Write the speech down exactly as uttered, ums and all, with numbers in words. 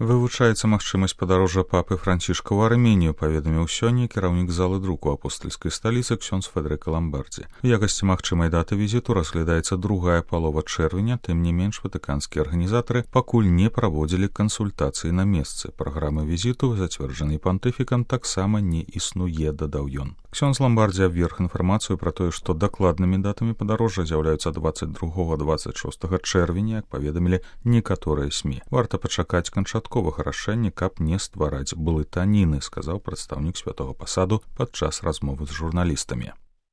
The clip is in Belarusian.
Вывучаецца магчымасць падарожжа папы Францішка ў Арменію, паведаміў сёння кіраўнік залы друку апостальскай сталіцы ксёндз Федэрыка Ламбардзі. У якасці магчымай даты візіту разглядаецца другая палова чэрвеня, тым не менш ватыканскія арганізатары пакуль не праводзілі кансультацыі на месцы. Праграмы візіту, зацверджанай пантыфікам, таксама не існуе, дадаў ён. Ксёндз Ламбардзі абверг інфармацыю пра тое, што дакладнымі датамі падарожжа з'яўляюцца дваццаць другога - дваццаць шостага чэрвеня, як паведамілі некаторыя СМІ. Варта пачакаць канчатковага рашэння, каб не ствараць блытаніны, сказаў прадстаўнік святога пасаду падчас размовы з журналістамі.